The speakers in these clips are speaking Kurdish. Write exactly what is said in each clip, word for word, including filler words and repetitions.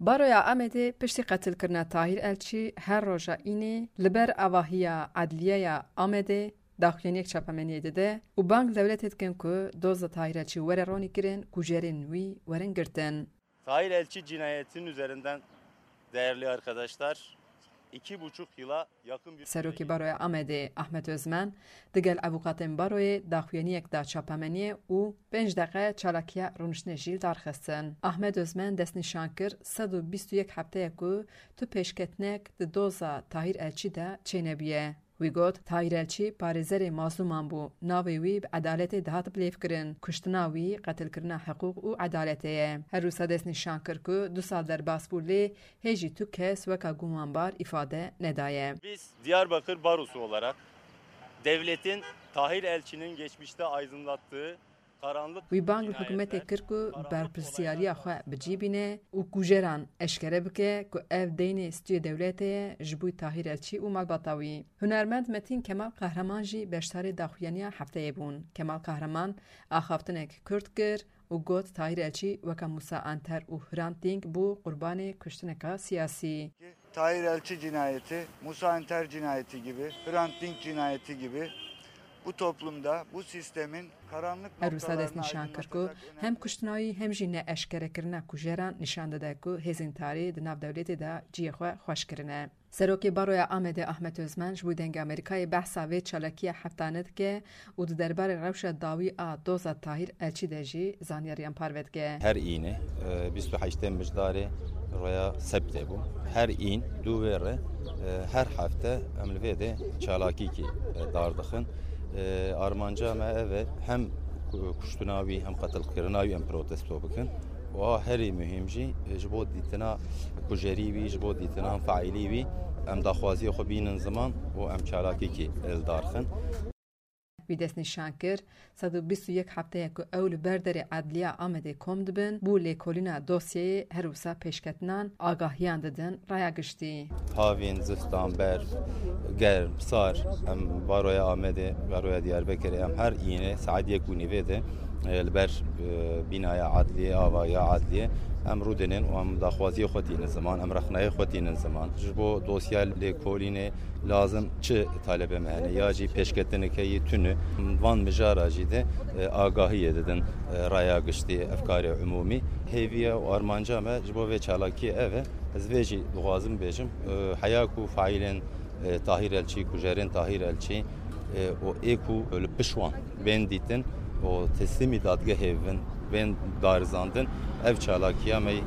Baroya Amedê piştî qetilkirina Tahîr Elçî her roja Înê li ber avahiya Edliyeya Amedê daxuyaniyek çapemeniyê dide û bang dewletê dikin ku doza Tahîr Elçî were ronîkirin, kujerên wî werin girtin. Tahir Elçi cinayetinin üzerinden, değerli arkadaşlar, iki buçuk yıla yakın bir Serokê Baroya Amedê Ahmet Özmen digel avûkatên baroyê daxuyaniyek da çapemeniyê û pênc deqe çalakiya rûniştinê jî li dar xistin. Ahmet Özmen destnîşan kir, sed û bîst û yek hefteye ku tu pêşketinek di doza Tahir Elçî de çênebûye. Wî got, Tahir Elçî parêzerê mazlûman bû, navê wî bi edaletê dihat bilêvkirin. Kuştina wî qetilkirina hiqûq û edaletê ye. Her wisa destnîşan kir ku du sal derbas bû, lê hê jî tu kes weka gumanbar îfade nedaye. Biz Diyarbakır Barosu olarak devletin Tahir Elçi'nin geçmişte aydınlattığı karanlık Wî bang li cinayetler, hikûmetê kir ku karanlık berpirsiyariya olaylar xwe bi cî bîne û kujeran eşkere bike ku ev deynê stûyê dewletê ye ji bo Tahir Elçî û malbata wî. Hunermend Metîn Kemal Qehreman jî beşdarê daxuyaniya hefteyê bûn. Kemal Qehreman axaftinek kurt kir û got, Tahir Elçî weke Musa Anter û Hrant Dînk bû qurbanê kuştineka siyasî. Tahir Elçi cinayeti, Musa Anter cinayeti gibi, Hrant Dink cinayeti gibi bu toplumda, bu sistemin karanlık Her wisa noktalarına destnîşan kir ku aydınlatacak önemli hem kuştina wî hem jî neeşkerekirina kujeran nîşan dide ku hêzên tarî di nav dewletê de cihê xwe xweş kirine. Serokê Baroya Amedê Ahmet Özmen ji bo Dengê Amerîkayê behsa vê çalakiya heftane dike û di derbarê rewşa dawî a doza Tahîr Elçî de jî zanyariyan parve dike. Her Înê, e, bîst û heştê Mijdarê roya sebtê bû. Her În dû wê re, e, her hefte em li vê de çalakîkî, e, dar dixin. E, armanca me ev e, hem ku-, kuştina wî, hem qetilkirina wî em protesto bikin. Û a herî muhîm jî, e, ji bo dîtina kujerî wî, ji bo dîtina faîlî wî, em daxwaziyê xwe bînin ziman û em çalakîkî li dar xin. Wî destnîşan kir, sed û bîst û yek hefteye ku ew li ber derê Edliya Amedê kom dibin, bo lêkolîna dosyeyê her wisa pêşketinan agahiyan didin raya giştî. Havîn, zistan, berf, germ, sar, em baroya Amedê, baroya Diyarbekirê, em her Înê saet yek û nîvê de, e, li ber, e, bînaya Edliyê, avahiya Edliyê, em rûdinin û em daxwaziyê xwe tînin ziman, em rexneyê xwe tînin ziman. Ji bo dosya lêkolînê lazim çi talebê me hene ya jî pêşketineke yê tune. Van mijara jî de, e, agahiyê didin, e, raya giştî, efkarê umûmî. Hêviya û armanca me ji bo vê çalakiyê ev e. Ez vê jî dixwazim bêjim, e, heya ku faîlên, e, Tahîr Elçî, kujerên Tahîr Elçî, e, û ê ku li piş wan bên dîtin û teslîmî dadgehê bin, bên darizandin, ev çalakiya me, e,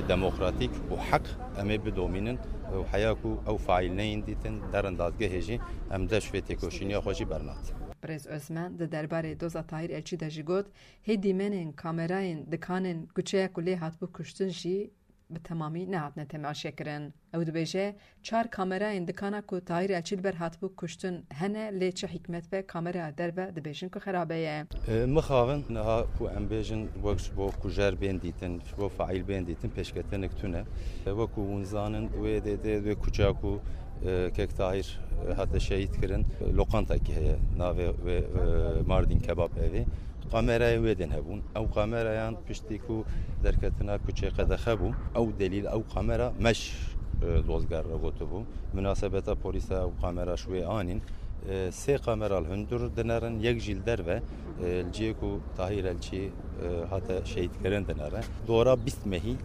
demokratîk û heq em ê bidomînin û heya ku ew faîl neyên dîtin, derin dadgehê jî em dest vê têkoşîniya xwe jî bernat. Birêz Özmen di derbarê doza Tahîr Elçî de jî got, hê dîmenên kamerayên dikanên kuçeya ku lê hatibû kuştin jî bi temamî nehatine temaşekirin. Ew dibêje, çar kamerayên dikana ku Tahîr Elçî li ber hatibû kuştin hene, lê çi hikmet be, kamera derve dibêjin ku xerabe ye. E, mixabin niha ku em bêjin wek ji bo kujer bên dîtin, ji bo faîl bên dîtin, pêşketinik tune. E, wekû hûn zanin, wê dê, dê, wê kuça ku, e, kek Tahîr, e, hate şehîd kirin, e, loqantekî heye, navê wê, e, Mardin Kebab Evi. Kamerayên wê din hebûn. Ew kamerayan piştî ku derketina kuçê qedexe bû, ew delîl, ew kamera meş, e, dozger re gotibû. Minasebeta polîsa ew kamera ji wê anîn. E, sê kamera li hundir dinerin, yek jî li derve, e, li cihê ku Tahîr Elçî, e, hate şehîdkirin dinere. Dora bîst mehî,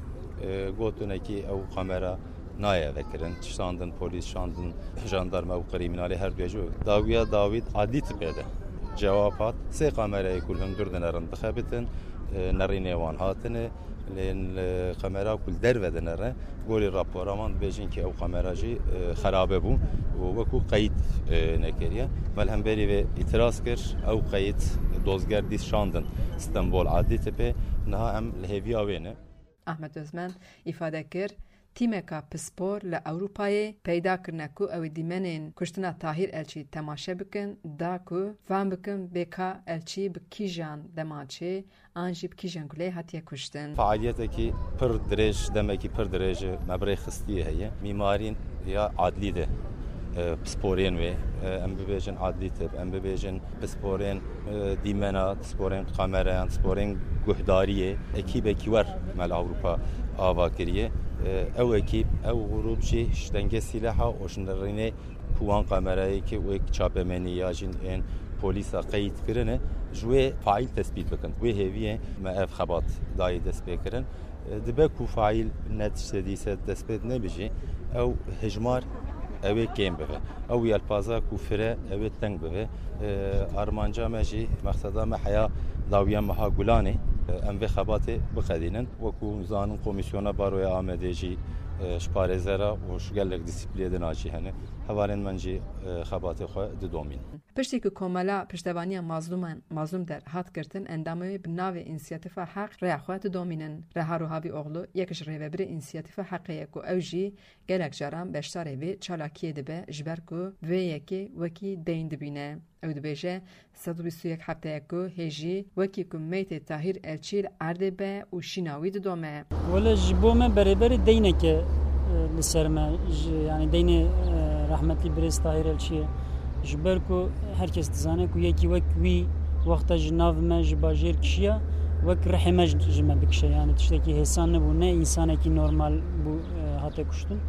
e, gotinekî ew kamera nayê vekirin. Şandin polîs, şandin jandarma û krîmînalê her duye jî. Dawiya dawî adlî tipê de cewab hat. Sê kamerayê ku li hundir dinerin dixebitin, e, nerînê wan hatine. Lê li kamera ku li derve dinere, gorî rapora wan dibêjin ki ew kamera jî, e, xerabe bû û wekû qeyd, e, nekiriye. Me li hemberî vê îtiraz kir, ew qeyd dozger dîs şandin Stenbol adlî tipê. Niha em li hêviya wê ne. Ahmet Özmen îfade kir, tîmeka pispor li Ewropayê peyda kirine ku ew ê dîmenên kuştina Tahîr Elçî temaşe bikin, da ku fam bikin bê ka Elçî bi kîjan dema çê an jî bi kîjan guleyê hatiye kuştin. Fealiyetekî pir dirêj, demekî pir dirêj me bi rê xistiye heye. Mîmarîn ya adlî de, e, pisporên wê, e, em bibêjin adlî tip, em bibêjin pisporên, e, dîmena, pisporên kamerayan, pisporên guhdariyê, ekîbekî wer me li Ewropa ava kiriye. Ew ekîb, ew grûp jî ji dengê sîleha û ji nirînê ku wan kamerayê ke wek çapemenî ya jî ên polîsa qeyd kirine, ji wê faîl tespît bikin. Wê hêviyê me ev xebat dayê destpêkirin. Dibe ku faîl ne tiştê dîse destpêt nebe jî, ew hejmar ew ê kêm bibe. Ew yelpaza ku fire ew ê teng bibe. Armanca me jî, mexseda me heya dawiya meha Gulanê, em vê xebatê biqedînin. Wekû zanin Komîsyona Baroya Amedê jî, e, ji parêzera û ji gelek dîsîpliyê din a jî hene. Hevalên min jî, e, xebatê xwe didomîn. Piştî ku Komela Piştevaniya Mazlûman, Mazlûm Der hat girtin, endamê wê bi navê Însiyatîfa Heq rêya xwe didomînin. Reha Ruhavî Oxlu yek ji rêvebirê Însiyatîfa Heqê ye ku ew jî gelek caran beşdarê vê çalakiyê dibe, ji ber ku vê yekê wekî deyn dibîne. Ew dibêje, sed û bîst û yek hefte ye ku hêjî wekî ku meytê Tahîr Elçî li erdê be û şîna wî didome. Wele ji bo me berêberî deyneke, e, li ser me, ji, yanî deynê, e, rehmetî birêz Tahîr Elçî ye. Ji ber ku her kes dizane ku yekî wek wî wexta ji nav me, ji bajêr kişiya, wek rihê me ji, ji me dikişe. Yanî tiştekî hêsan nebû, ne însanekî normal bû, e, hate kuştin.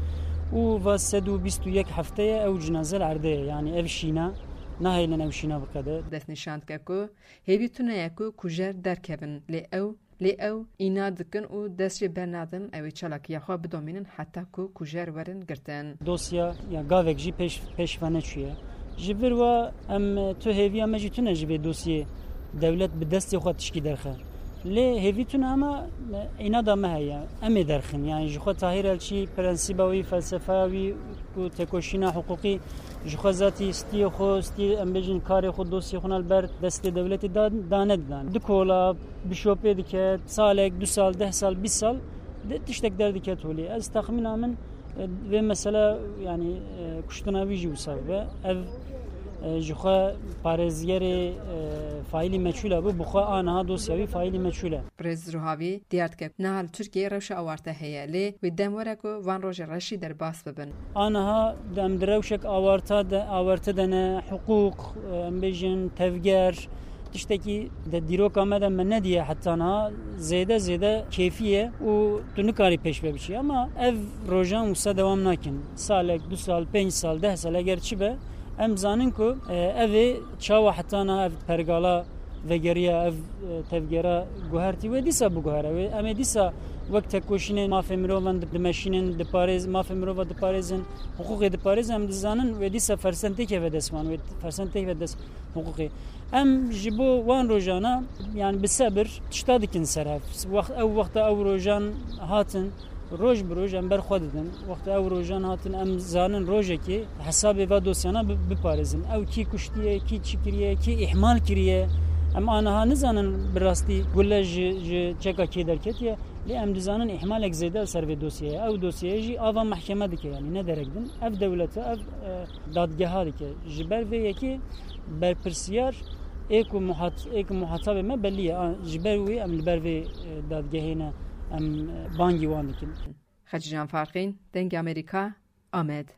Û va sed û bîst û yek hefte ye ew cinaze li erdê ye. Yanî ev şîna, nahêlin ew şîna biqede. Destnîşan dike ku hêvî tune ye ku kujer derkevin, lê ew, lê ew îna dikin û dest jê bernadin, ew ê çalakiya xwe bidomînin heta ku kujer werin girtin. Dosya ya gavek jî pêş, pêş ve neçûye. Ji vir wa em, tu hêviya me jî tune ji vê dosyê dewlet bi destê xwe tişkî derxe. Lê hêvî tune ama, e, înada me heye. Em ê derxin. Yanî ji xwe Tahîr Elçî, prensîba wî, felsefeya wî ku têkoşîna hiqûqî ji xwe zatî stiyê xwe, stiyê, em bêjin, karê xwe, dosyê xwe ne li ber destê dewletê da, da nedidan. Di kola bişopê dike, salek, du sal, deh sal, bîst sal, de tiştek derdiket holê. Ez texmîna min, e, vê mesela, yanî, e, kuştina wî jî wisa bibe. Ev, e, ji xwe parêzgerê, e, faîlî meçhûl e bû, bi xwe a niha dosya wî faîlî meçhûl e. Birêz Ruhavî diyar dike, niha li Tirkiyeyê rewşa awarte heye, lê wê dem were ku van rojê reşî derbas bibin. A niha em di rewşek awarta de, awarte de ne, hiqûq, em bêjin, tevger, tiştekî di dîroka me de me nediye heta niha, zêde zêde kêfî ye û tu nikarî pêş ve biçî. Ama ev rojan wisa dewam nakin. Salek, du sal, pênc sal, deh sal eger çi be, em zanin ku, e, ev ê çawa heta niha ev pergala vegeriya, ev, e, tevgera guhertî, wê dîsa biguhere. Wê, em ê dîsa wek tekoşînê mafê mirovan di-, dimeşînin, diparêz-, mafê mirova diparêzin, hiqûqê diparêzin, em dizanin wê dîsa fersend têkeve dest wan, wê fersend têkeve dest hiqûqê. Em ji bo wan rojana, yani bi sebir tişta dikin ser hev. Wext, ew wexta ew rojan hatin, roj bi roj em ber xwe didin. Wexta ew rojan hatin, em zanin rojekê hesabê va dosyana bi-, biparêzin. Ew kî kuştiye, kî çi kiriye, kî îhmal kiriye. Em aniha nizanin bi rastî gule ji, ji çeka kê derketiye. Lê em dizanin îhmalek zêde li ser vê dosyeyê. Ew dosyeyê jî ava mehkeme dike, yanî ne derek din. Ev dewlete, ev, e, dadgeha dike. Ji ber vê yekê berpirsiyar ê ku muhat-, ê ku muhatabê me belî ye. A, ji ber wê em li ber vê, e, dadgehê ne, em, e, bangî wan dikin. Xecîcan Farqîn, Dengê Amerîka, Amed.